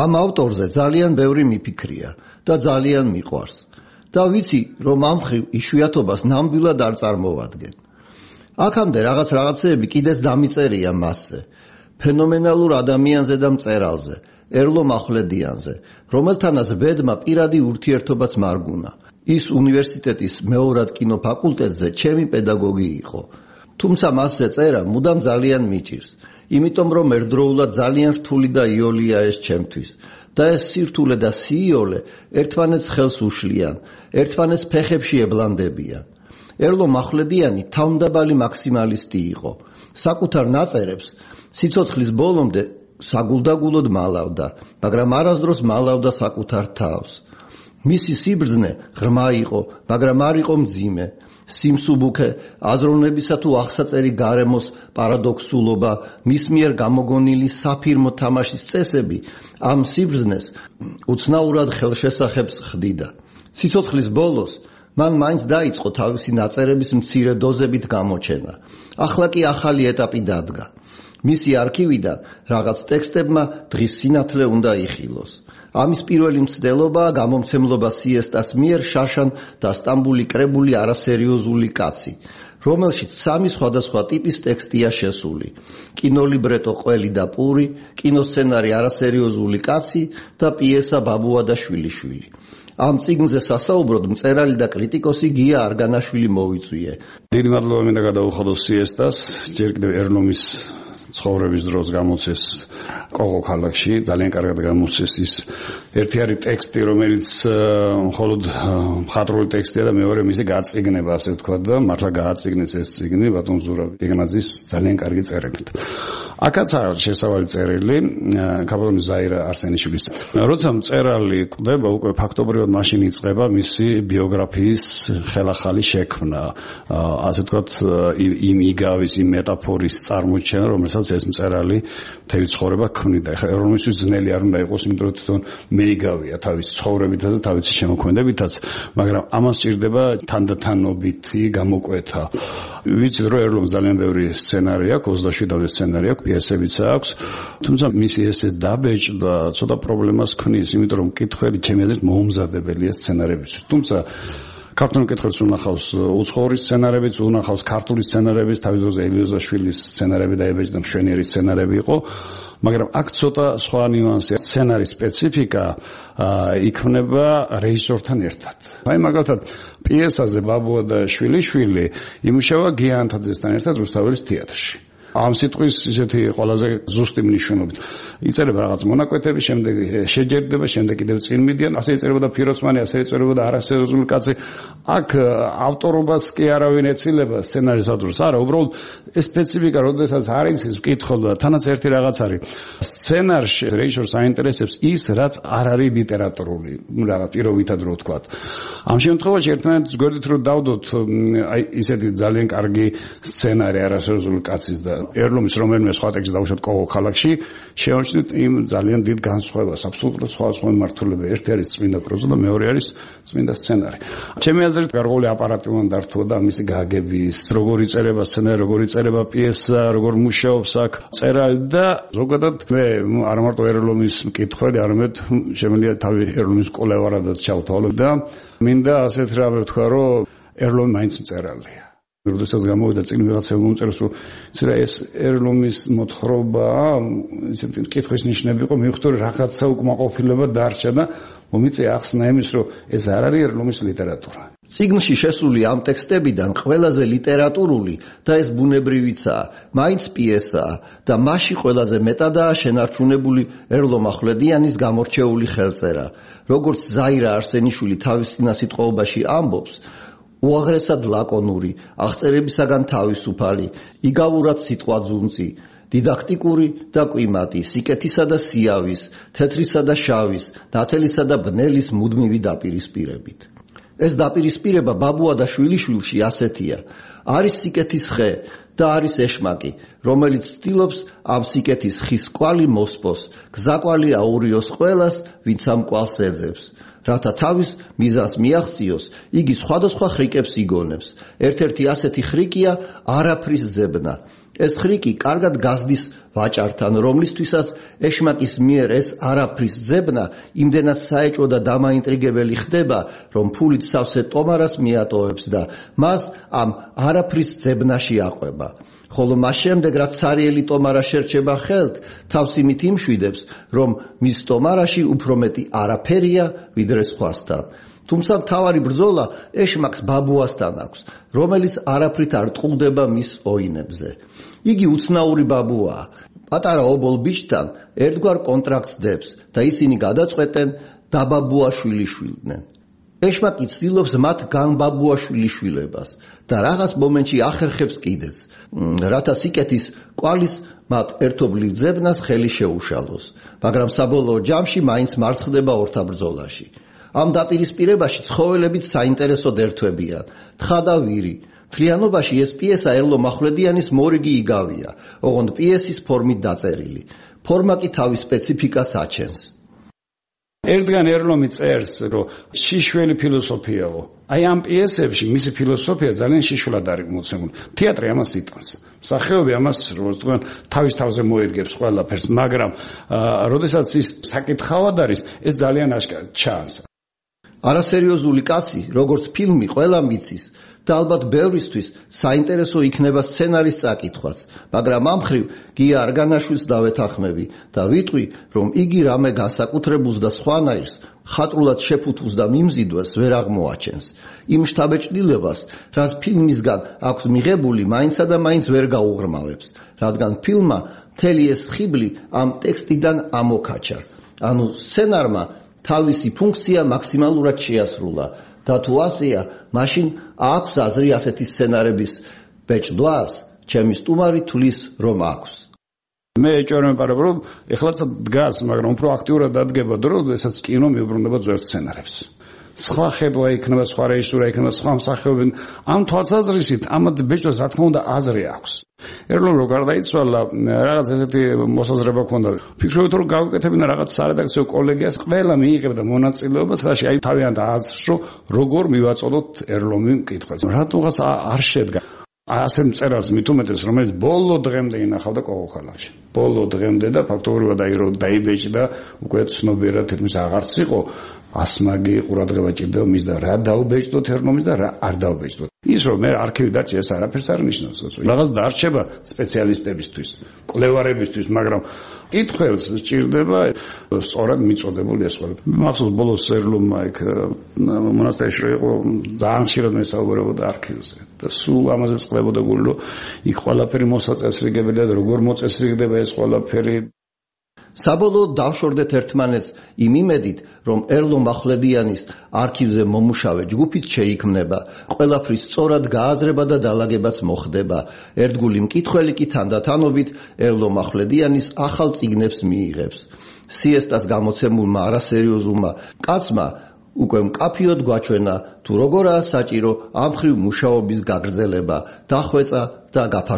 ამ ავტორზე ძალიან ბევრი მიფიქრია და ძალიან მიყვარს და ვიცი, რომ ამ ხრივ იშვიათობას ნამდვილად არ წარმოვადგენ. აქამდე რაღაცეები კიდეც დამიწერია მასზე, ფენომენალურ ადამიანზე და მწერალზე, ერლო მახვლედიანზე, რომელთანაც ბედმა პირადი ურთიერთობაც მარგუნა. ის უნივერსიტეტის მეორად კინოფაკულტეტზე ჩემი პედაგოგი იყო. თუმცა მასზე წერა მუდამ ძალიან მიჭირს, იმიტომ რომ ერთდროულად ძალიან რთული და იოლია ეს ჩემთვის. და ეს სირთულე და სიიოლე ერთმანეთს ხელს უშლიან, ერთმანეთს ფეხებში ებლანდებიან. ერლო მახვლედიანი თავმდაბალი მაქსიმალისტი იყო. საკუთარ ნაწერებს სიცოცხლის ბოლომდე საგულდაგულოდ მალავდა, მაგრამ არასდროს მალავდა საკუთარ თავს. მისი სიბრძნე ღრმა იყო, მაგრამ არ იყო მძიმე. სიმსუბუქე, აზროვნებისა თუ აღსაწერი გარემოს პარადოქსულობა, მის მიერ გამოგონილი საფირმო თამაშის წესები ამ სიბრძნეს უცნაურად ხელშესახებს ხდიდა. სიცოცხლის ბოლოს მან მაინც დაიწყო თავისი ნაწერების მცირე დოზებით გამოჩენა. ახლა კი ახალი ეტაპი დადგა. მისი არქივიდან რაღაც ტექსტებმა დღის სინათლე უნდა იხილოს. ამის პირველი მცდელობაა გამომცემლობა სიესტას მიერ შაშან და სტამბული კრებული არასერიოზული კაცი, რომელშიც 3 სხვადასხვა ტიპის ტექსტია შესული: კინოლიბრეტო ყველი და პური, კინოსცენარი არასერიოზული კაცი და პიესა ბაბუა და შვილიშვილი. ამ წიგნზე სასაუბროდ მწერალი და კრიტიკოსი გია არგანაშვილი მოვიწვიე. დიდი მადლობა მინდა გადავუხადო სიესტას, ჯერ კიდევ ერლომის ცხოვრების დროს გამოცეს კოღო ქალაქში, ძალიან კარგად გამოცეს ის ერთი არის ტექსტი, რომელიც მხოლოდ მხატვრული ტექსტია და მეორე მისი გაწიგნება, ასე ვთქვათ, და მართლა გააწიგნეს ეს წიგნი ბატონ ზურაბ იგნაძის ძალიან კარგი წერილით. აქაც არის შესავალი წერილი კაპიტანი ზაირა არსენიშვილის. როცა მწერალი კვდება, უკვე ფაქტობრივად მაშინ იწყება მისი ბიოგრაფიის ხელახალი შექმნა, ასე ვთქვათ, იმ იგავის, იმ მეტაფორის წარმოჩენა, რომელსაც ეს მწერალი მთელი ცხოვრება ქმნიდა. ეხლა ეროვნისთვის ძნელი არ უნდა იყოს, იმიტომ რომ თვითონ მეიგავია თავის ცხოვრებითა და თავისი შემოქმედებითაც, მაგრამ ამას სჭირდება თანდათანობითი გამოკვეთა. ვიცით, რომ ერლომს ძალიან ბევრი სცენარი აქვს, 27 სცენარი აქვს, პიესებიც აქვს, თუმცა მისი ესე დაბეჭდა ცოტა პრობლემას ქმნის, იმიტომ რომ მკითხველი ჩემი აზრით მოუმზადებელია სცენარებისთვის. თუმცა ქართული მკითხველს უნახავს უცხოური სცენარებიც, უნახავს ქართული სცენარებიც, თავის დროზე ელიოზაშვილის სცენარები და ებეჭდა მშვენიერი სცენარები იყო, მაგრამ აქ ცოტა სხვა ნიუანსია. სცენარის სპეციფიკა იქმნება რეჟისორთან ერთად. აი მაგალითად პიესაზე ბაბუა და შვილიშვილი იმუშავა გია ანთაძესთან ერთად რუსთაველის თეატრში. ამ სიტყვის ისეთი ყველაზე ზუსტი მნიშვნელობით. იწერება რაღაც მონაკვეთები, შემდეგ შეჯერდება, შემდეგ კიდევ წინ მიდიან, ასე იწერებოდა ფიროსმანი, ასე იწერებოდა არასერიოზული კაცი. აქ ავტორობას კი არავინ ეცილება სცენარის ავტორს. არა, უბრალოდ ეს სპეციფიკა, როდესაც არ იცის მკითხველს და თანაც ერთი რაღაც არის. სცენარში რეჟისორს აინტერესებს ის, რაც არ არის ლიტერატურული, რაღაც პირობითად რო ვთქვათ. ამ შემთხვევაში ერთმანეთს გვერდით რო დავდოთ, აი ისეთი ძალიან კარგი სცენარი არასერიოზული კაცის და ერლომის რომელიმე სხვა ტექსტი დავუშვათ კოღო ქალაქში, შევაჩნდით იმ ძალიან დიდ განსხვავებას, აბსოლუტურად სხვა მმართველობა. ერთი არის წმინდა პროზა და მეორე არის წმინდა სცენარი. ჩემი აზრით გარკვეული აპარატი უნდა დართვა და მისი გაგების, როგორ იწერება სცენარი, როგორ იწერება პიესა, როგორ მუშაობს აქ მწერალი და ზოგადად მე არ მარტო ერლომის მკითხველი, არამედ შემიძლია თავი ერლომის კოლევარადაც ჩავთვალო და მინდა ასეთ რამე ვთქვა, რომ ერლომი მაინც მწერალია. როდესაც გამოვიდა წიგნი ვიღაცამ მომწეროს, რომ ეს ერლომის მოთხრობა, ისეთი მკითხვის ნიშნები იყო, მივხვდი რომ რაღაცა უკმაყოფილება დარჩა და მომიწია ახსნა იმის, რომ ეს არ არის ერლომის ლიტერატურა. წიგნში შესული ამ ტექსტებიდან ყველაზე ლიტერატურული და ეს ბუნებრივიცაა, მაინც პიესაა და მასში ყველაზე მეტადაა შენარჩუნებული ერლო მახვლედიანის გამორჩეული ხელწერა. როგორც ზაირა არსენიშვილი თავის წინასიტყვაობაში ამბობს, უაღრესად ლაკონური, აღწერებისაგან თავისუფალი, იგავურად სიტყვაძუნწი, დიდაქტიკური და კვიმატი, სიკეთისა და სიავის, თეთრისა და შავის, ნათელისა და ბნელის მუდმივი დაპირისპირებით. ეს დაპირისპირება ბაბუა და შვილიშვილში ასეთია. არის სიკეთის ხე და არის ეშმაკი, რომელიც ცდილობს ამ სიკეთის ხის კვალი მოსპოს, გზაკვალი აურიოს ყველას, ვინც ამ კვალს ეძებს. რათა თავის მიზანს მიაღწიოს, იგი სხვადასხვა ხრიკებს იგონებს. ერთ-ერთი ასეთი ხრიკია არაფრის ძებნა. ეს ხრიკი კარგად გაზდის ვაჭართან, რომლისთვისაც ეშმაკის მიერ ეს არაფრის ძებნა იმდენად საეჭვო და დამაინტრიგებელი ხდება, რომ ფულით სავსე ტომარას მიატოვებს და მას ამ არაფრის ძებნაში აყვება. ხოლო მას შემდეგ, რაც ცარიელი ტომარა შერჩება ხელთ, თავს იმით იმშვიდებს, რომ მის ტომარაში უფრო მეტი არაფერია, ვიდრე სხვასთან. თუმცა მთავარი ბრძოლა ეშმაკს ბაბუასთან აქვს, რომელიც არაფრით არ ტყუდება მის ოინებზე. იგი უცნაური ბაბუაა. პატარა ობოლ ბიჭთან ერთგვარ კონტრაქტს დებს და ისინი გადაწყვეტენ დაბაბუაშვილიშვილდნენ. ეშმაკი ცდილობს მათ განბაბუაშვილიშვილებას და რაღაც მომენტში ახერხებს კიდეც, რათა სიკეთის კვალის მათ ერთობლივ ძებნას ხელი შეუშალოს, მაგრამ საბოლოო ჯამში მაინც მარცხდება ორთაბრძოლაში. ამ დაპირისპირებაში ცხოველებიც საინტერესოდ ერთვებიან, თხა და ვირი. მთლიანობაში ეს პიესა ერლო მახვლედიანის მორიგი იგავია, ოღონდ პიესის ფორმით დაწერილი. ფორმა კი თავის სპეციფიკას აჩენს. ერთგან ერლომი წერს, რომ შიშველი ფილოსოფიაო. აი ამ პიესებში მისი ფილოსოფია ძალიან შიშულად არის მოცემული. თეატრი ამას იტანს. მსახიობი ამას როგორ თავის თავზე მოერგებს ყველაფერს, მაგრამ როდესაც ის საკითხავად არის, ეს ძალიან აშკარად ჩანს. არასერიოზული კაცი, როგორც ფილმი, ყველა მიცის და ალბათ ბევრისთვის საინტერესო იქნება სცენარის წაკითხვაც, მაგრამ ამ მხრივ გია არგანაშვილს დავეთანხმები და ვიტყვი, რომ იგი რამე განსაკუთრებულს და სხვანაირს ხატრულად შეფუთულს და მიმზიდვას ვერ აღმოაჩენს. იმ შთაბეჭდილებას, რაც ფილმისგან აქვს მიღებული, მაინცსა და მაინც ვერ გაუღრმავებს, რადგან ფილმმა მთელი ეს ხიბლი ამ ტექსტიდან ამოქაჩა. ანუ სცენარმა თავისი ფუნქცია მაქსიმალურად შეასრულა და თუ ასეა, მაშინ აქვს აზრი ასეთი სცენარების ბეჭდვას, ჩემი სტუმარი თulis რომ აქვს. მე ეჭვმეპარებ, რომ ეხლაც დგას, მაგრამ უფრო აქტიურად დადგება დრო, როდესაც კინო მიუბრუნდება ძველ სცენარებს. სხვა ხედვა იქნება, სხვა რეჟისურა იქნება, სხვა მსახიობი. ამ თვალსაზრისით ამათ ბეჭდვას რა თქმა უნდა აზრი აქვს. ერლომ რო გარდაიცვალა, რაღაც ესეთი მოსაზრება ჰქონდა. ფიქრობთ რომ გავუკეთებინა რაღაც სარედაქციო კოლეგიას, ყველა მიიღებდა მონაწილეობას, რაში აი თავიანთ აზრს როგორ მივაწოდოთ ერლომი მკითხვას. რატომღაც არ შედგა ასე მწერალს მით უმეტეს, რომელიც ბოლო დღემდე ინახავდა კოღოხალაში. ბოლო დღემდე და ფაქტობრივად აი რომ დაიბეჭდა, უკვე ცნობიერად თითქმის აღარც იყო, ასმაგი ყურადღება ჭირდება მის და რა დაუბეჭდოთ ერლომის და რა არ დაუბეჭდოთ. ის რომ მე არქივი დარჩი, ეს არაფერს არ ნიშნავს, რაღაც დარჩება სპეციალისტებისთვის, კვლევარებისთვის, მაგრამ კითხვებს სჭირდება სწორად მიწოდებული ეს ყველა. მახსოვს ბოლოს ერლომმა იქ მონასტერში იყო ძალიან ხშირად მესაუბრებოდა არქივზე და სულ ამაზე წყდებოდა გული, რომ იქ ყველაფერი მოსაწესრიგებელია და როგორ მოწესრიგდება ეს ყველაფერი. საბოლოოდ დავშორდეთ ერთმანეთს იმ იმედით, რომ ერლო მახვლედიანის არქივზე მომუშავე ჯგუფიც შეიქმნება, ყველაფრის სწორად გააზრება და დალაგებაც მოხდება. ერთგული მკითხველი კი თანდათანობით ერლო მახვლედიანის ახალ წიგნებს მიიღებს. სიესტას გამოცემულმა არასერიოზულმა კაცმა უკვე მკაფიოდ გვაჩვენა, თუ როგორაა საჭირო ამ მხრივ მუშაობის გაგრძელება, დახვეწა და გაფართოება.